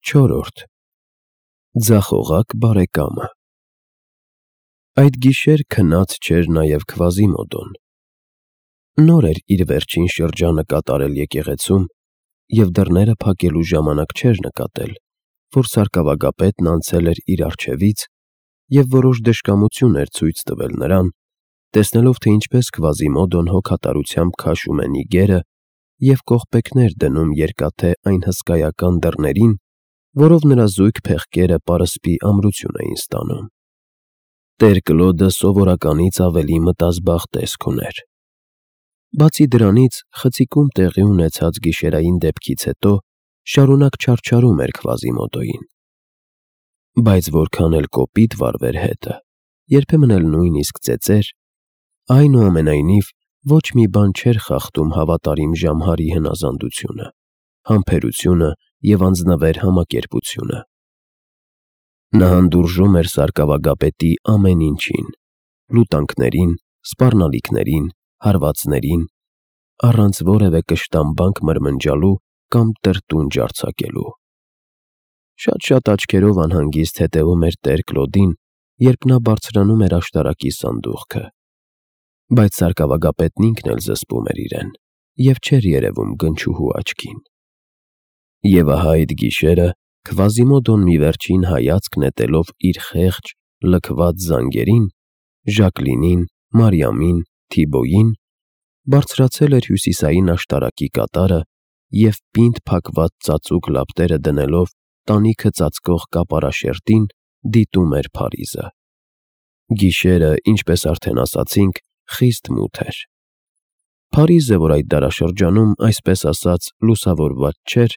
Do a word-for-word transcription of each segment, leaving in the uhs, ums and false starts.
Չորրորդ Ձախողակ բարեկամը Այդ գիշեր քնած չէր նաև Քվազիմոդոն։ Նոր էր իր վերջին շրջանը կատարել եկեղեցում և դռները փակելու ժամանակ չէր նկատել, որ սարկավագապետն անցել էր իր առջևից և որոշ դժկամություն էր ցույց տվել նրան, տեսնելով, թե ինչպես Քվազիմոդոն հոգատարությամբ քաշում է նիգերը և կողպեքներ դնում երկաթե այն հսկայական դռներին, որով նրա զույգ փեղկերը պարսպի ամրություն էին ստանում։ Տեր Կլոդը սովորականից ավելի մտազբաղ տեսք ուներ։ Բացի դրանից, խցիկում տեղի ունեցած գիշերային դեպքից հետո շարունակ չարչարում էր Քվազիմոդոյին։ Բայց որքան էլ կոպիտ վարվեր հետը, երբեմն էլ նույնիսկ ծեծեր, այնուամենայնիվ ոչ մի բան չէր խախտում հավատարիմ Ժամհարի հնազանդությունը, համբերությունը և անձնվեր համակերպությունը։ Նա հանդուրժում էր սարկավագապետի ամեն ինչին՝ լուտանքներին, սպառնալիքներին, հարվածներին, առանց որևէ կշտամբանք մրմնջալու կամ տրտունջ արձակելու։ Շատ-շատ աչքերով անհանգիստ հետևում էր Տեր Կլոդին, երբ նա բարձրանում էր աշտարակի սանդուղքը, բայց սարկավագապետն ինքն էլ զսպում էր իրեն և չէր երևում գնչուհու աչքին։ Եվ ահա այդ գիշերը Քվազիմոդոն մի վերջին հայացք նետելով իր խեղճ, լքված զանգերին՝ Ժակլինին, Մարիամին, Թիբոյին, բարձրացել էր հյուսիսային աշտարակի կատարը և պինդ փակված ծածուկ լապտերը դնելով տանիքը ծածկող կապարաշերտին, դիտում էր Փարիզը։ Գիշերը, ինչպես արդեն ասացինք, խիստ մութ էր։ Փարիզը, որ այդ դարաշրջանում, այսպես ասած, լուսավորված չէր,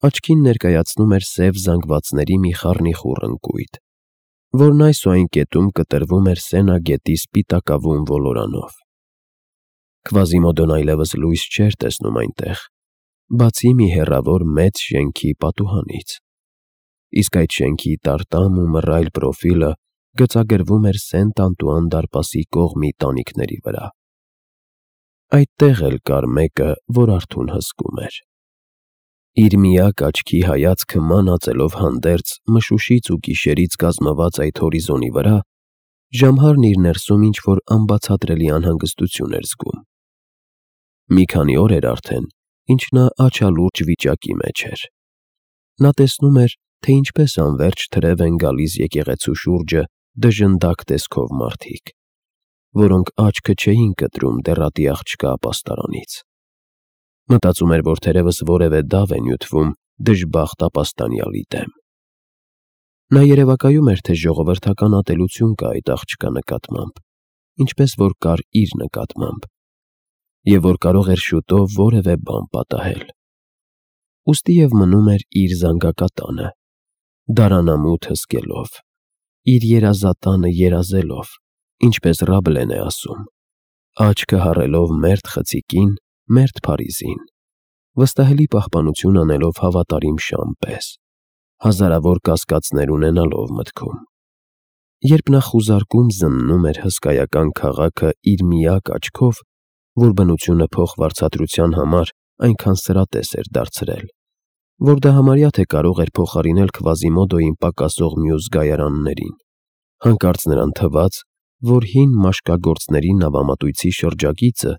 աչքին ներկայացնում էր սև զանգվածների մի խառնիխուռ ընկույտ, որն այս ու այն կետում կտրվում էր Սենա գետի սպիտակավուն ոլորանով։ Քվազիմոդոն այլևս լույս չէր տեսնում այնտեղ, բացի մի հեռավոր մեծ շենքի պատուհանից, իսկ այդ շենքի տարտամ ու մռայլ պրոֆիլը գծագրվում էր Սենտ Անտուան դարպասի կողմի տանիքների վրա։ Այդտեղ էլ կար մեկը, որ արթուն հսկում էր։ Իր միակ աչքի հայացքը մանածելով հանդերձ մշուշից ու գիշերից կազմված այդ հորիզոնի վրա, Ժամհարն իր ներսում ինչ-որ անբացատրելի անհանգստություն էր զգում։ Մի քանի օր էր արդեն, ինչ նա աչալուրջ վիճակի մեջ էր։ Նա տեսնում էր, թե ինչպես անվերջ թրև են գալիս եկեղեցու շուրջը դժնդակ տեսքով մարդիկ, որոնք աչքը չէին կտրում դեռատի աղջկա ապաստարանից։ Մտածում էր, որ թերևս որևէ դավ է նյութվում դժբախտ ապաստանյալի դեմ։ Նա երևակայում էր, թե ժողովրդական ատելություն կա այդ աղջկա նկատմամբ, ինչպես որ կար իր նկատմամբ, և որ կարող էր շուտով որևէ բան պատահել։ Ուստի և մնում էր իր զանգակատանը, դարանամութ հսկելով, իր երազատանը երազելով, ինչպես Ռաբլեն է ասում, աչքը հառելով մերթ խցիկին, մերթ Փարիզին, վստահելի պահպանություն անելով հավատարիմ շան պես, հազարավոր կասկածներ ունենալով մտքում։ Երբ նա խուզարկում զննում էր հսկայական քաղաքը իր միակ աչքով, որ բնությունը փոխվարձատրության համար այնքան սրատես էր դարձրել, որ դա համարյա թե կարող էր փոխարինել Քվազիմոդոյին պակասող մյուս գայարաններին, հանկարծ նրան թվաց, որ հին մաշկագործների նավամատույցի շրջագիծը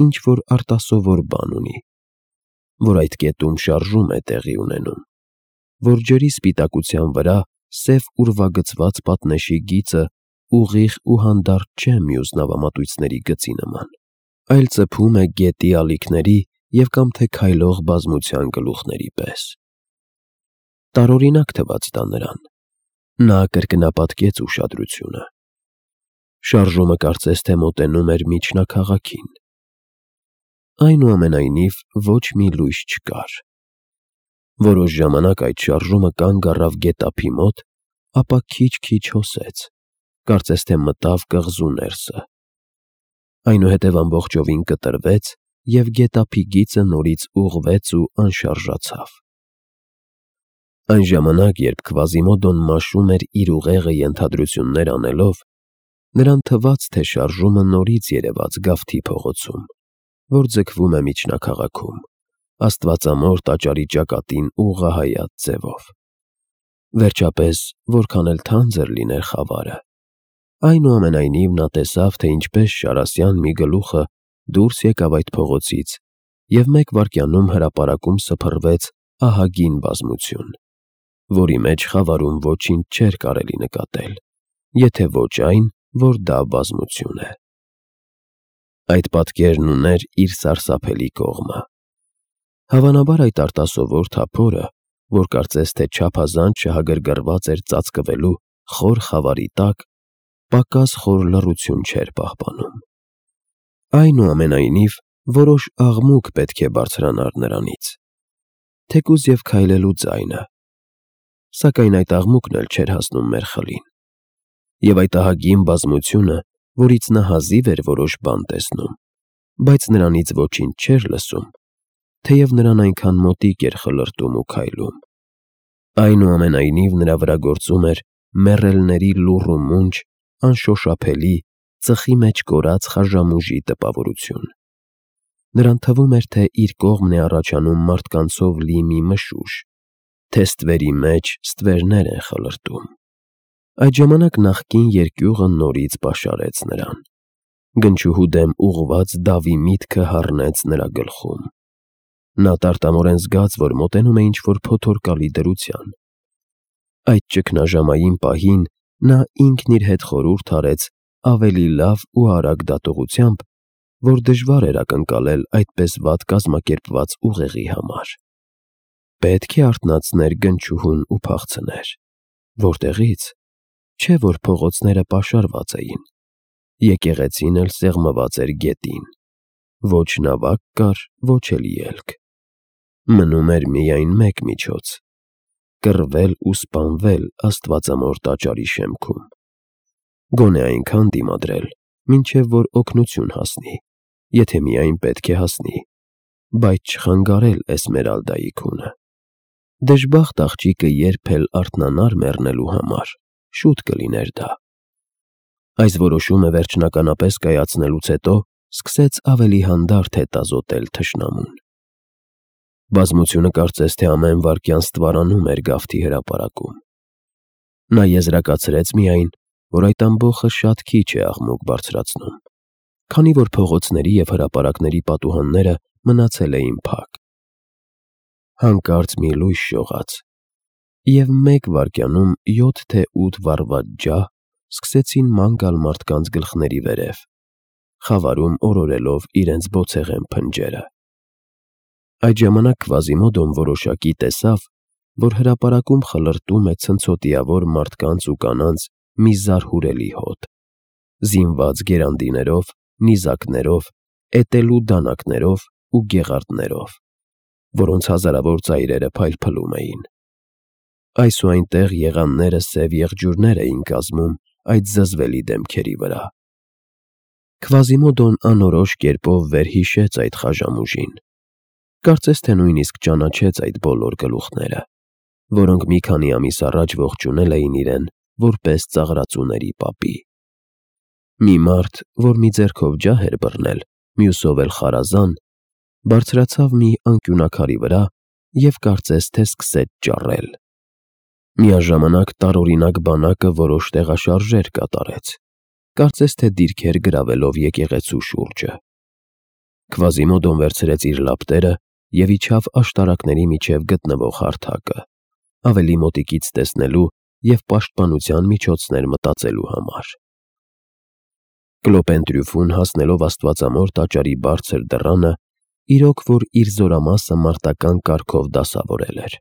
ինչ-որ արտասովոր բան ունի, որ այդ կետում շարժում է տեղի ունենում, որ ջրի սպիտակության վրա սև ուրվագծված պատնեշի գիծը ուղիղ ու հանդարտ չէ մյուս նավամատույցների գծի նման, այլ ծփում է գետի ալիքների և կամ թե քայլող բազմության գլուխների պես։ Տարօրինակ թվաց դա նրան։ Նա կրկնապատկեց ուշադրությունը։ Շարժումը կարծես թե մոտենում էր միջնակաղաքին։ Այնուամենայնիվ ոչ մի լույս չկար։ Որոշ ժամանակ այդ շարժումը կանգ առավ գետափի մոտ, ապա քիչ-քիչ հոսեց, կարծես թե մտավ կղզու ներսը։ Այնուհետև ամբողջովին կտրվեց և գետափի գիծը նորից ուղղվեց ու անշարժացավ։ Այն ժամանակ, երբ Քվազիմոդոն մաշում էր իր ուղեղը ենթադրություններ անելով, նրան թվաց, թե շարժումը նորից երևաց Գավթի փողոցում, որ ձգվում է միջնակաղաքում, Աստվածամոր տաճարի ճակատին ուղղահայաց ձևով։ Վերջապես, որքան էլ թանձր լիներ խավարը, այնուամենայնիվ նա տեսավ, թե ինչպես շարասյան մի գլուխը դուրս եկավ այդ փողոցից և մեկ վայրկյանում հրապարակում սփռվեց ահագին բազմություն, որի մեջ խավարում ոչինչ չէր կարելի նկատել, եթե ոչ այն, որ դա բազմություն է։ Այդ պատկերն ուներ իր սարսափելի կողմը։ Հավանաբար այդ արտասովոր թափորը, որ կարծես թե չափազանց շահագրգռված էր ծածկվելու խոր խավարի տակ, պակաս խոր լռություն չէր պահպանում։ Այնուամենայնիվ, որոշ աղմուկ պետք է բարձրանար նրանից, թեկուզ և քայլելու ձայնը, սակայն այդ աղմուկն էլ չէր հասնում մերխլին, և այդ ահագին բազմությունը, որից նա հազիվ էր որոշ բան տեսնում, բայց նրանից ոչինչ չէր լսում, թեև նրան այնքան մոտիկ էր խլրտում ու քայլում, այնուամենայնիվ նրա վրա գործում էր մեռելների լուռ ու մունջ, անշոշափելի, ծխի մեջ կորած խաժամուժի տպավորություն։ Նրան թվում էր, թե իր կողմն է առաջանում մարդկանցով լի մի մշուշ, թե ստվերի մեջ ստվերներ են խլրտում։ Այդ ժամանակ նախկին երկյուղը նորից պաշարեց նրան։ Գնչուհու դեմ ուղղված դավի միտքը հառնեց նրա գլխում։ Նա տարտամորեն զգաց, որ մոտենում է ինչ-որ փոթորկալի դրության։ Այդ ճգնաժամային պահին նա ինքն իր հետ խորհուրդ արեց ավելի լավ ու արագ դատողությամբ, որ դժվար էր ակնկալել այդպես վատ կազմակերպված ուղեղի համար։ Պետք է արթնացներ գնչուհուն ու փախցներ։ Որտեղի՞ց։ Չէ՞ որ փողոցները պաշարված էին, եկեղեցին էլ սեղմված էր գետին, ոչ նավակ կար, ոչ էլ ելք։ Մնում էր միայն մեկ միջոց՝ կռվել ու սպանվել աստվածամոր տաճարի շեմքում, գոնե այնքան դիմադրել, մինչև որ օգնություն հասնի, եթե միայն պետք է հասնի, բայց չխանգարել Էսմերալդայի քունը։ Դժբախտ աղջիկը երբ էլ արթնանար մեռնելու համար, շուտ կլիներ դա։ Այս որոշումը վերջնականապես կայացնելուց հետո սկսեց ավելի հանդարտ հետազոտել թշնամուն։ Բազմությունը կարծես թե ամեն վայրկյան ստվարանում էր գավթի հրապարակում։ Նա եզրակացրեց միայն, որ այդ ամբոխը շատ քիչ է աղմուկ բարձրացնում, քանի որ փողոցների և հրապարակների պատուհանները մնացել էին փակ։ Հանկարծ մի լույս շողաց, և մեկ վայրկյանում յոթ թե ութ վառված ջահ սկսեցին ման գալ մարդկանց գլխների վերև, խավարում օրորելով իրենց բոցեղեն փնջերը։ Այդ ժամանակ Կվազիմոդոն որոշակի տեսավ, որ հրապարակում խլրտում է ցնցոտիավոր մարդկանց ու կանանց մի զարհուրելի հոտ, զինված գերանդիներով, նիզակներով, էտելու դանակներով ու գեղարդներով, որոնց հազարավոր ծայրերը փայլփլում էին։ Այս ու այնտեղ եղանները սև եղջյուրներ էին կազմում այդ զզվելի դեմքերի վրա։ Կվազիմոդոն անորոշ կերպով վերհիշեց այդ խաժամուժին, կարծես թե նույնիսկ ճանաչեց այդ բոլոր գլուխները, որոնք մի քանի ամիս առաջ ողջունել էին իրեն որպես ծաղրածուների պապի։ Մի մարդ, որ մի ձեռքով ջահ էր բռնել, մյուսով էլ խարազան, բարձրացավ մի անկյունաքարի վրա և կարծես թե սկսեց ճառել։ Միաժամանակ տարօրինակ բանակը որոշ տեղաշարժեր կատարեց, կարծես թե դիրքեր գրավելով եկեղեցու շուրջը։ Կվազիմոդոն վերցրեց իր լապտերը և իջավ աշտարակների միջև գտնվող հարթակը, ավելի մոտիկից տեսնելու և պաշտպանության միջոցներ մտածելու համար։ Կլոպեն-Տրյուֆուն հասնելով աստվածամոր տաճարի բարձր դռանը, իրոք որ իր զորամասը մարտական կարգով դասավորել էր։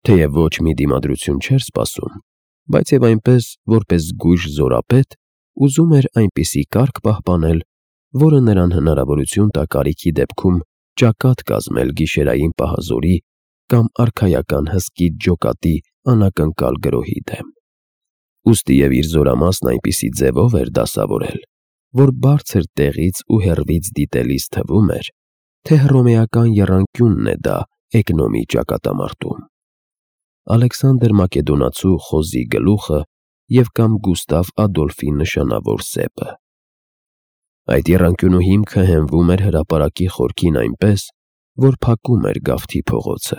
Թեև ոչ մի դիմադրություն չէր սպասում, բայց և այնպես, որպես զգույշ զորապետ, ուզում էր այնպիսի կարգ պահպանել, որը նրան հնարավորություն տա կարիքի դեպքում ճակատ կազմել գիշերային պահազորի կամ արքայական հսկիչ ջոկատի անակնկալ գրոհի դեմ։ Ուստի և իր զորամասն այնպիսի ձևով էր դասավորել, որ բարձր տեղից ու հեռվից դիտելիս թվում էր, թե հռոմեական եռանկյունն է դա Էկնոմի ճակատամարտում, Ալեքսանդր Մակեդոնացու խոզի գլուխը և կամ Գուստավ Ադոլֆի նշանավոր սեպը։ Այդ եռանկյունու հիմքը հենվում էր հրապարակի խորքին այնպես, որ փակում էր գավթի փողոցը,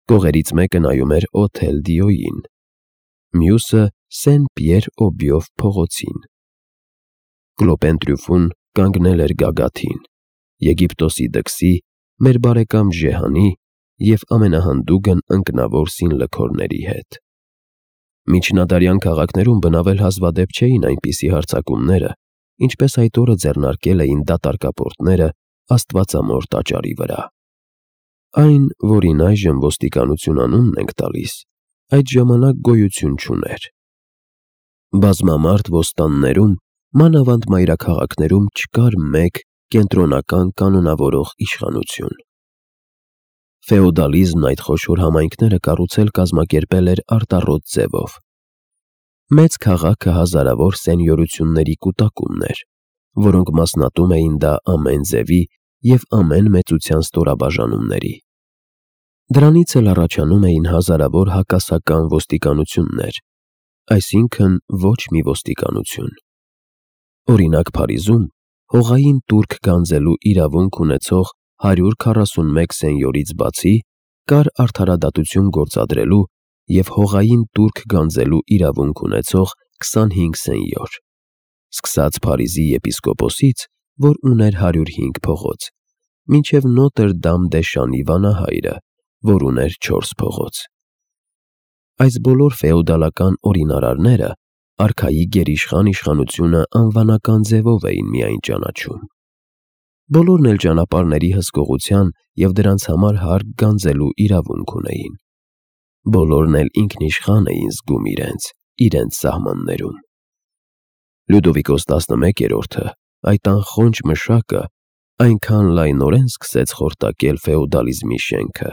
Կողերից մեկը նայում էր Օթել Դիոյին, մյուսը Սեն Պիեր Օբիով փողոցին։ Կլոպեն Տրյուֆուն կանգնել էր գագաթին, Եգիպտոսի դքսի, մեր բարեկամ Ժեհանի և ամենահանդուգն ընկնավոր սինլքորների հետ։ Միջնադարյան քաղաքներում բնավել հազվադեպ չէին այնպիսի հարձակումները, ինչպես այդ օրը ձեռնարկել էին դատարկապորտները Աստվածամոր տաճարի վրա։ Այն, որին այժմ ոստիկանություն անունն ենք տալիս, այդ ժամանակ գոյություն չուներ։ Բազմամարդ ոստաններում, մանավանդ մայրաքաղաքներում չկար մեկ կենտրոնական կանոնավորող իշխանություն։ Ֆեոդալիզմն այդ խոշոր համայնքները կառուցել կազմակերպել էր արտառոտ ձևով։ Մեծ քաղաքը հազարավոր սենյորությունների կուտակումն էր, որոնք մասնատում էին դա ամեն ձևի և ամեն մեծության ստորաբաժանումների։ Դրանից էլ առաջանում էին հազարավոր հակասական ոստիկանություններ, այսինքն ոչ մի ոստիկանություն։ Օրինակ Փարիզում հողային տուրք գանձելու իրավունք ունեցող հարյուր քառասունմեկ սենյորից բացի կար արդարադատություն գործադրելու և հողային տուրք գանձելու իրավունք ունեցող քսանհինգ սենյոր, սկսած Փարիզի եպիսկոպոսից, որ ուներ հարյուր հինգ փողոց, մինչև Նոտր Դամ դե Շանի վանահայրը, որ ուներ չորս փողոց։ Այս բոլոր ֆեոդալական օրինարարները արքայի գերիշխան իշխանությունը անվանական ձևով էին միայն ճանաչում։ Բոլորն էլ ճանապարհների հսկողության և դրանց համար հարկ գանձելու իրավունք ունեին։ Բոլորն էլ ինքնիշխան էին զգում իրենց, իրենց սահմաններում։ Լյուդովիկոս տասնմեկերորդը, այդ անխոնջ մշակը, այնքան լայնորեն սկսեց խորտակել ֆեոդալիզմի շենքը,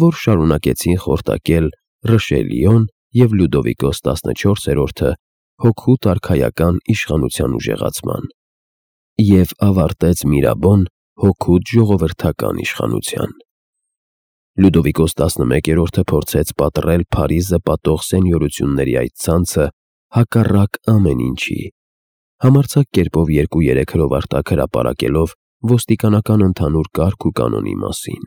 որ շարունակեցին խորտակել Ռիշելիոն և Լյուդովիկոս տասնչորսերորդը հօգուտ արքայական իշխանության ուժեղացման, և ավարտեց Միրաբոն հօգուտ ժողովրդական իշխանության։ Լյուդովիկոս տասնմեկերորդը փորձեց պատռել Փարիզը պատող սենյորությունների այդ ցանցը հակառակ ամեն ինչի, համարձակ կերպով երկու-երեք հրովարտակ հրապարակելով ոստիկանական ընդհանուր կարգ ու կանոնի մասին։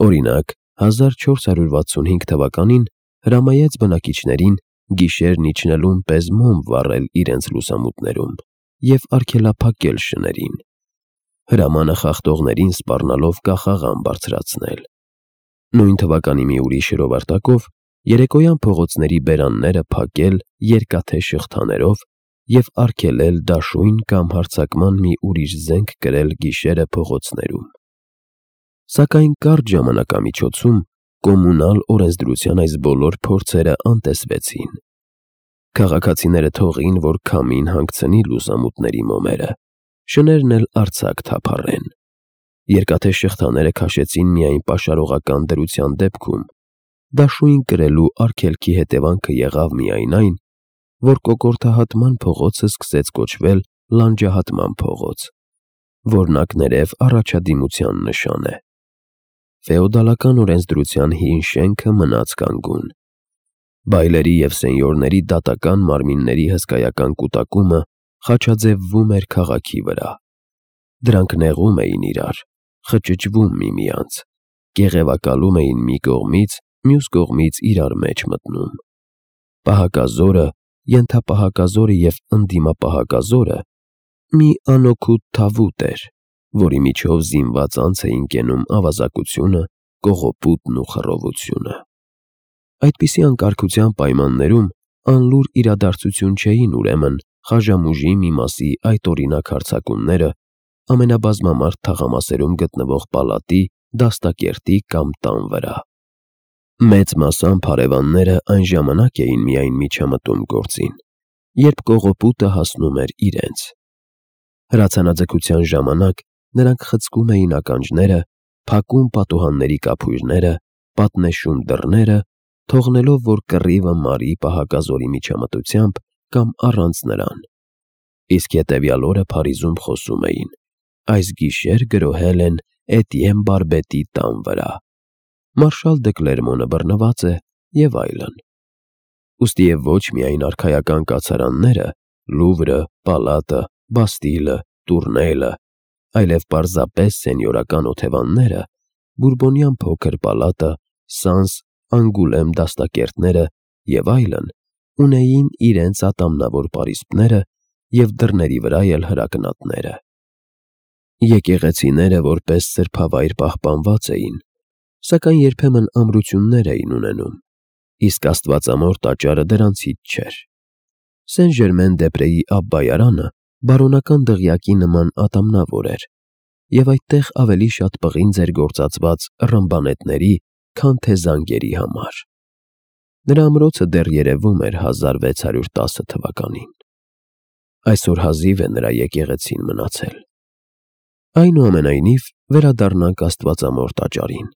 Օրինակ, հազար չորս հարյուր վաթսունհինգ թվականին հրամայեց բնակիչներին գիշերն իջնելուն պես մոմ վառել իրենց լուսամուտներում և արգելափակել շներին, հրամանը խախտողներին սպառնալով կախաղան բարձրացնել։ Նույն թվականի մի ուրիշ հրովարտակով երեկոյան փողոցների բերանները փակել երկաթե շղթաներով և արգելել դաշույն կամ հարձակման մի ուրիշ զենք կրել գիշերը փողոցներում։ Սակայն կարճ ժամանակամիջոցում կոմունալ օրենսդրության այս բոլոր փորձերը անտեսվեցին։ Քաղաքացիները թողին, որ քամին հանգցնի լուսամուտների մոմերը, շներն էլ արձակ թափառեն։ Երկաթե շղթաները քաշեցին միայն պաշարողական դրության դեպքում, դաշույն կրելու արգելքի հետևանքը եղավ միայն այն, որ կոկորդահատման փողոցը սկսեց կոչվել լանջահատման փողոց, որն ակներև առաջադիմության նշան է։ Ֆեոդալական օրենսդրության հին շենքը մնաց կանգուն։ Բայլերի և սենյորների դատական մարմինների հսկայական կուտակումը խաչաձևվում էր քաղաքի վրա։ Դրանք նեղում էին իրար, խճճվում միմյանց, կեղևակալում էին մի կողմից, մյուս կողմից իրար մեջ մտնում։ Պահակազորը, ենթապահակազորը և ընդդիմապահակազորը մի անօգուտ թավուտ էր, որի միջով զինված անց էին կենում ավազակությունը, կողոպուտն ու խռովությունը։ Այդպիսի անկարգության պայմաններում անլուր իրադարձություն չէին ուրեմն Խաժամուժի մի մասի այդ օրինակ հարձակումները ամենաբազմամարդ թաղամասերում գտնվող պալատի, դաստակերտի կամ տան վրա։ Մեծ մասամբ հարևանները այն ժամանակ էին միայն միջամտում գործին, երբ կողոպուտը հասնում էր իրենց։ Հրացանաձգության ժամանակ նրանք խցկում էին ականջները, փակում պատուհանների կափույրները, պատնեշում դռները, թողնելով, որ կռիվը մարի պահակազորի միջամտությամբ կամ առանց նրան։ Իսկ հետևյալ օրը Փարիզում խոսում էին. այս գիշեր գրոհել են Էտիեն Բարբետի տան վրա, Մարշալ դը Կլերմոնը բռնված է և այլն։ Ուստիև ոչ միայն արքայական կացարանները՝ Լուվրը, Պալատը, Բաստիլը, Տուրնելը, այլև պարզապես սենյորական օթևանները՝ Բուրբոնյան փոքր պալատը Սանս, Անգուլեմ դաստակերտները և այլն ունեին իրենց ատամնավոր պարիսպները և դռների վրա էլ հրակնատները։ Եկեղեցիները որպես սրբավայր պահպանված էին, սակայն երբեմն ամրություններ էին ունենում, իսկ Աստվածամոր տաճարը դրանցից չէր։ Սեն֊Ժերմեն֊դե֊ՊրեիԱբբայարանը բարոնական դղյակի նման ատամնավոր էր, և այդտեղ ավելի շատ պղինձ էր գործածված ռմբանետների, քան թե զանգերի համար։ Նրա ամրոցը դեռ երևում էր հազար վեց հարյուր տասը թվականին։ Այսօր հազիվ է նրա եկեղեցին մնացել։ Այնուամենայնիվ, վերադառնանք Աստվածամոր տաճարին։